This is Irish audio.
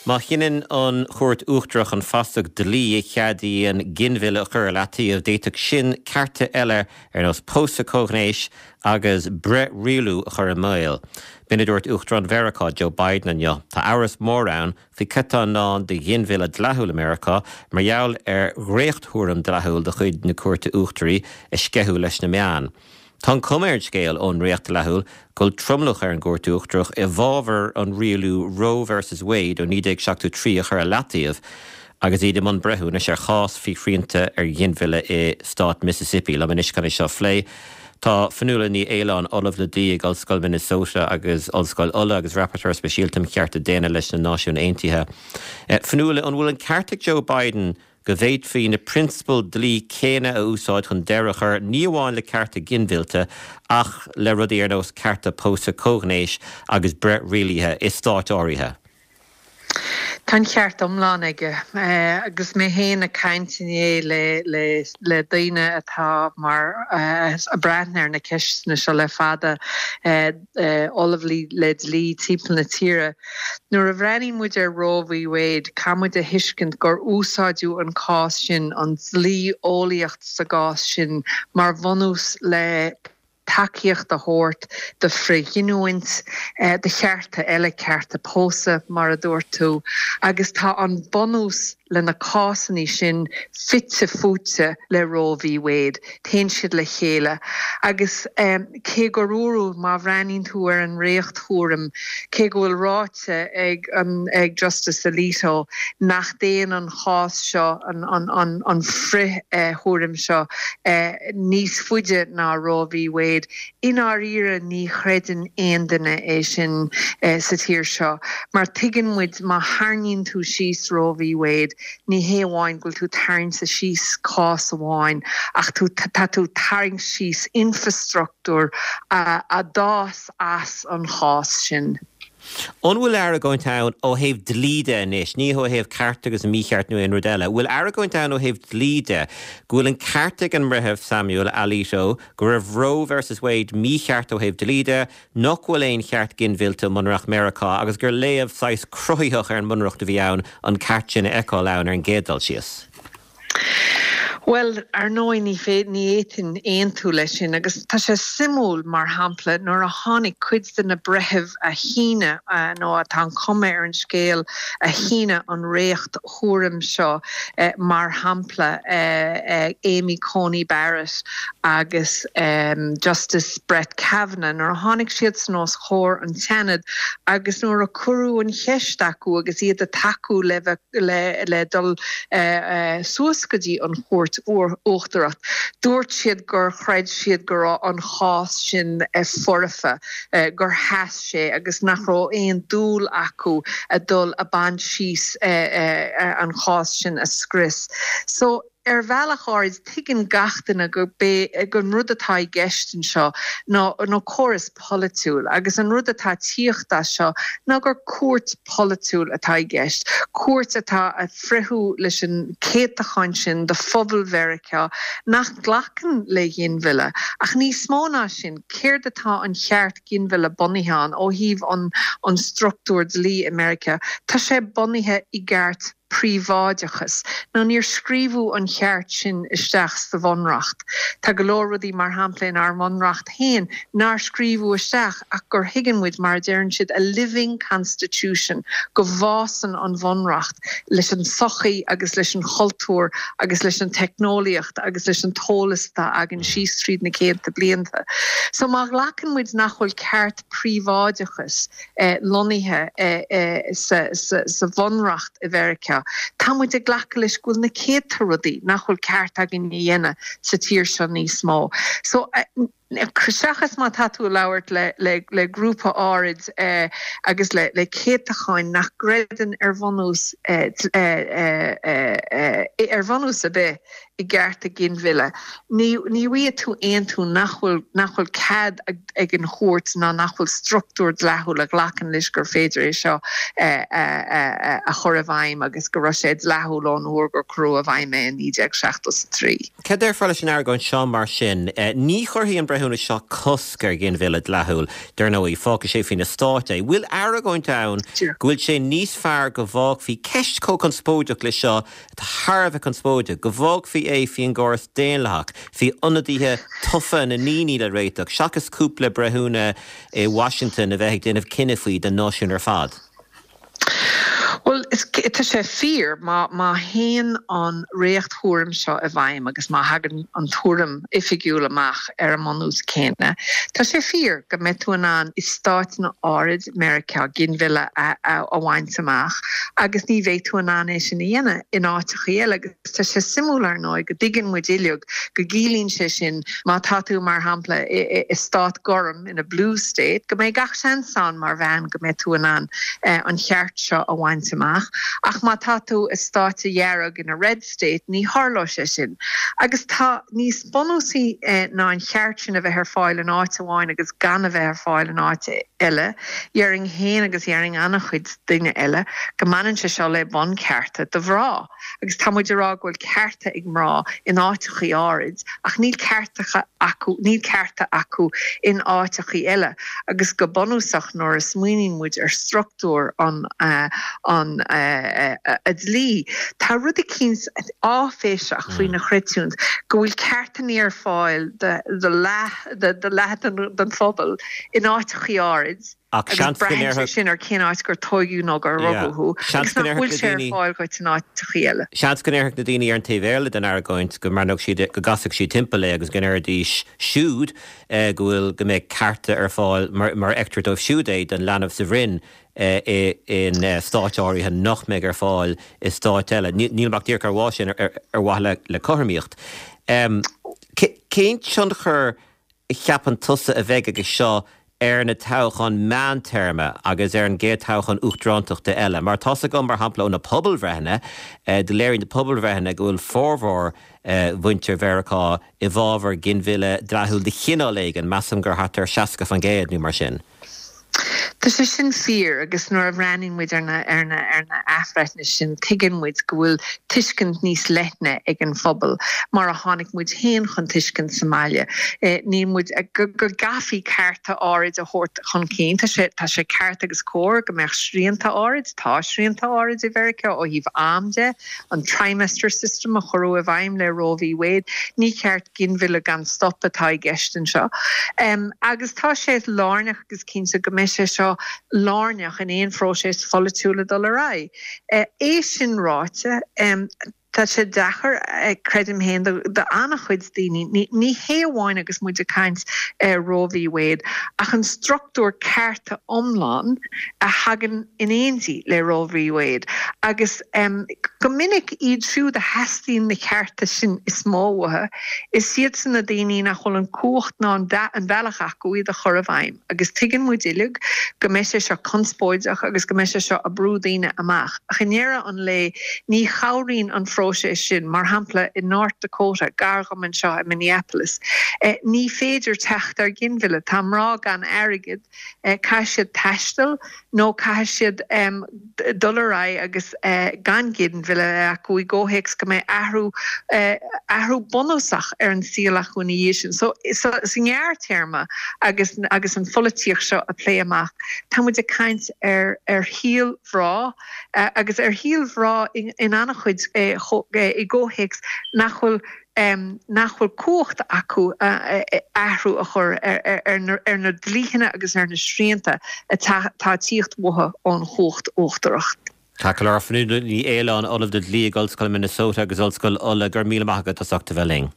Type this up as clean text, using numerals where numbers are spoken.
Má chinneann an Chúirt Uachtarach an fasach dlí a cheadaíonn ginmhilleadh a chur ar leataobh, d'fhéadfadh sin cearta eile ar nós pósadh comhghnéis agus breith-rialú a chur i mbaol. B'in a dúirt Uachtarán Mheiriceá, Joe Biden inniu. Tá amhras mór ann faoi cad tá i ndán do ghinmhilleadh dleathúil i Meiriceá mar gheall ar dhréacht-thuairim dleathúil de chuid na Cúirte Uachtaraí a sceitheadh leis na meáin. Tá an chuma ar an scéal ón ndréacht dleathúil go bhfuil tromlach ar an gCúirt Uachtarach i bhfabhar an rialú Roe versus Wade ó 1973 a chur ar leataobh agus iad i mbun breithiúnais ar chás faoi shrianta ar ghinmhilleadh i stát Mississippi. Liom anois chun é seo a phlé tá Fionnuala Ní Aoláin, Ollamh le Dlí ag Ollscoil Minnesota agus Ollscoil Uladh agus Rapporteur Speisialta um Chearta Daonna leis na Náisiúin Aontaithe. Fionnuala, an bhfuil an ceart ag Joe Biden go bhféadfaí na prionsabail dlí céanna a úsáid chun deireadh a chur ní amháin le cearta ginmhillte ach le rudaí ar nós cearta pósadh comhghnéis agus breith rialaithe i stáit áirithe. Tá an ceart iomlán aige. Agus mé féin ag caint inné le daoine atá mar ag breathnú ar na ceisteanna seo le fada, Ollamh le dlí timpeall na tíre. Nuair a bhreathnaíonn muid ar Roe v Wade, caithfidh muid a thuiscint gur úsáideadh an cás sin, an dlí-eolaíocht sa gcás sin, mar bhunús le tacaíocht a thabhairt do frithghiniúint, do chearta eile, cearta pósadh, mar a dúirt tú, agus tá an bunús le na cásanna sin fite fuaite le Roe v Wade. Téann siad le chéile. Agus cé gur dúradh, má bhreathnaíonn tú ar an ndréacht-thuairim, cé go bhfuil ráite ag an ag Justice Alito nach dtéann an chás seo, an an frith-thuairim seo, níos faide ná Roe v Wade, I ndáiríre ní chreideann aon duine é sin sa tír seo mar tuigeann muid má tharraingíonn tú síos Roe v Wade ní hé amháin go bhfuil tú tarraingt síos cás amháin ach tú tá tú tarraingt síos infrastruchtúr a d'fhás as an chás sin. An bhfuil argóint ann ó thaobh dlí de anois, ní ó thaobh ceart agus mícheart nó aon rud eile, an bhfuil argóint ann ó thaobh dlí de go bhfuil an ceart ag an mBreitheamh Samuel Alito go raibh Roe versus Wade mícheart ó thaobh dlí de, nach bhfuil aon cheart ginmhillte i mBunreacht Meiriceá agus gur léamh saghas cruthaitheach ar an mBunreacht a bhí ann an ceart sin a fheiceáil ann ar an gcéad dul síos? Bhuel, ar ndóigh, ní ní fhéadfainn aontú leis sin agus tá sé suimiúil, mar shampla, nuair a tháinig cuid de na breithimh a shínigh, nó tá an chuma ar an scéal, a shínigh an dhréacht-thuairim seo, mar shampla, Amy Coney Barrett agus Justice Brett Kavanaugh, nuair a tháinig siadsan os comhair an tSeanaid agus nuair a cuireadh an cheist acu agus iad ag tacú le bheith le dul suas go dtí an Chúirt Uachtarach. Dúirt siad gur chreid siad go raibh an chás sin foirfe, gur sheas sé agus nach raibh aon dúil acu a dul a baint síos an chás sin a scrios. So, ar bhealach áirid, tuigeann gach duine gurb é an rud atá i gceist anseo ná ná córas polaitiúil agus an rud atá ag tíocht as seo ná gur cúirt pholaitiúil atá i gceist, cúirt atá ag fritheadh leis an céatachán sin de phobal Mheiriceá nach nglacann le ghinmhilleadh. Ach níos mó ná sin, céard atá an cheart ginmhilleadh bunaithe ann ó thaobh an an struchtúr dlí i Meiriceá? Tá sé bunaithe i gceart príobháideachas. Nó níor scríobhadh an cheart sin isteach sa Bhunreacht. Tá go leor rudaí, mar shampla, inár mBunreacht féin nár scríobhadh isteach ach gur thuigeann muid, mar a deireann siad, a living constitution, go bhfásann an Bhunreacht leis an tsochaí agus leis an chultúr agus leis an teicneolaíocht agus leis an t-eolas atá againn síos tríd na céadta blianta. So má ghlacann muid nach bhfuil ceart príobháideachais lonnaithe sa bhunreacht i Mheiriceá. Tá muid ag glacadh leis go bhfuil na céadta rudaí nach bhfuil ceart againn a dhéanamh sa tír seo níos mó. So, seachas má tá tú ag labhairt le grúpa áirid agus le céatacháin nach gcreideann ar bhunús ar bhunús ar bith i gcearta ginmhilleadh, ní bhfaighidh tú aontú nach bhfuil nach bhfuil cead ag an chúirt ná nach bhfuil struchtúr dleathúil a ghlacann leis gur féidir é seo a chur i bhfeidhm agus go raibh sé dleathúil ón uair gur cuireadh i bhfeidhm é in 1973. Cad déarfá leis an argóint seo mar sin? Ní chuirfidh an Breitheamh. breithiúnas seo cosc ar ghinmhilleadh dleathúil, dar ndóigh, fágfaidh sé faoi na stáit é. Bhfuil argóint ann go bhfuil sé níos fearr go bhfágfaí ceist chomh conspóideach le seo, atá thar a bheith conspóideach, go bhfágfaí é faoin gcóras daonlathach, faoi ionadaithe tofa na ndaoine le réiteach, seachas cúpla breithiúna i Washington a bheith ag déanamh cinneadh faoi don náisiún ar fad? Bhuel, tá sé fíor, má má théann an dhréacht-thuairim seo i bhfeidhm agus má thagann an tuairim oifigiúil amach ar an mbunús céanna, tá sé fíor go mbeidh tú in ann i stáiteanna áirid Meiriceá ginmhilleadh a a bhaint amach agus ní bheidh tú in ann é sin a dhéanamh in áiteachaí eile. Agus tá sé suimiúil, ar ndóigh, go dtuigeann muid uilig go gciallaíonn sé sin má tá tú, mar shampla, i i stát gorm, in a blue state, go mbeidh gach seans ann mar bhean go mbeidh tú in ann an cheart seo a bhaint amach. Ach má tá tú i stáit dhearg, in a red state, ní tharlóidh sé sin. Agus tá níos bunúsaí ná an cheart sin a bheith ar fáil in áit amháin agus gan a bheith ar fáil in áit eile, dhéarfainn féin agus dhéarfainn an-chuid daoine eile go mbaineann sé seo le bunchearta do mhná. Agus tá muid ag rá go bhfuil cearta ag mná in áiteachaí áirid ach níl ceartacha acu, níl cearta acu in áiteachaí eile. Agus go bunúsach nuair a smaoiníonn muid ar struchtúr an, an dlí, tá rud eicínt áiféiseach faoina chreidiúint go bhfuil ceartannaí ar fáil do leath, do leath den phobal in áiteachaí áirid. Ach Agus seans go braitheann sé ndéarfadh. sin ar cén áit gur tóigeadh nó gur Yeah. rugadh thú, Seans agus go nach ndéarfadh bhfuil na sé ar daoine. fáil dhuit in áiteachaí eile. Seans go ndéarfadh na daoine ar an taobh eile den argóint go mbreathnódh siad, go gcasfadh siad timpeall é agus go ndéarfaidís siúd go bhfuil, go mbeadh cearta ar fáil mar, mar a fheictear dóibh siúd é, don leanbh sa bhroinn i, in stáit áirithe nach mbeidh ar fáil i stáit eile. Níl, nílim ach díreach á rá sin ar, ar mhaithe le, le cothromaíocht. Cén tionchar a cheapann tusa a bheidh aige seo ar na toghcháin meántéarma agus ar an gcéad toghchán uachtarántachta eile? Mar tá's agam, mar shampla, ó na pobalbhreitheanna, do léirigh na pobalbhreitheanna go bhfuil formhór mhuintir Mheiriceá i bhfabhar ginmhilleadh dleathúil de chineál éigin, measaim gur thart ar 60% nó mar sin. Tá sé sin fíor agus nuair a bhreathnaíonn muid ar na ar na ar na athbhreithnithe sin tuigeann muid go bhfuil tuiscint níos leithne ag an phobal mar a tháinig muid féin chun tuiscint sa mbaile. Níl muid go go gcaithfí cearta áirid a thabhairt chun cinn. Tá sé tá sé ceart agus cóir go mbeadh srianta áirid, tá srianta áirid i Mheiriceá ó thaobh am de, an trimester system a cuireadh i bhfeidhm le Roe v Wade. Ní ceart ginmhilleadh gan stop atá i gceist anseo. Agus tá sé lárnach agus cinnte go mbeidh sé seo lárnach in aon phróiseas pholaitiúil ag dul ar aghaidh. É sin ráite, tá sé deacair, creidim féin, do an-chuid daoine, ní hé amháin agus muid ag caint ar Roe v Wade, ach an struchtúr cearta iomlán a thagann in éindí le Roe v Wade agus go minic iad siúd a theastaíonn na cearta sin is mó uathu, is iadsan na daoine nach bhfuil an cumhacht ná an bealach acu iad a chur i bhfeidhm agus tuigeann muid uilig go mbeidh sé seo conspóideach agus go mbeidh sé seo ag brú daoine amach ach i ndeireadh an lae ní chabhraíonn an phróiseas sin, mar shampla i North Dakota, gar dhom anseo i Minneapolis, ní féidir teacht ar ghinmhilleadh, tá mná gan airgead, caithfidh siad taisteal nó caithfidh siad dul ar aghaidh agus gan ginmhilleadh a bheith acu i gcomhthéacs go mbeidh athrú athrú bunúsach ar an saol acu ina dhiaidh sin. So sa ngearrtéarma agus agus an pholaitíocht seo a plé amach, tá muid ag caint ar ar shaol mhná agus ar shaol mhná in an-chuid i gcomhthéacs nach bhfuil nach bhfuil cumhacht acu athrú a chur ar na dlítheanna agus ar na srianta atá ag tíocht uathu ón chumhacht uachtarach. Ceart go leor, Fionnuala Ní Aoláin, Ollamh le Dlí ag Ollscoil Minnesota agus Ollscoil Uladh, go raibh míle maith agat as ucht a bheith linn.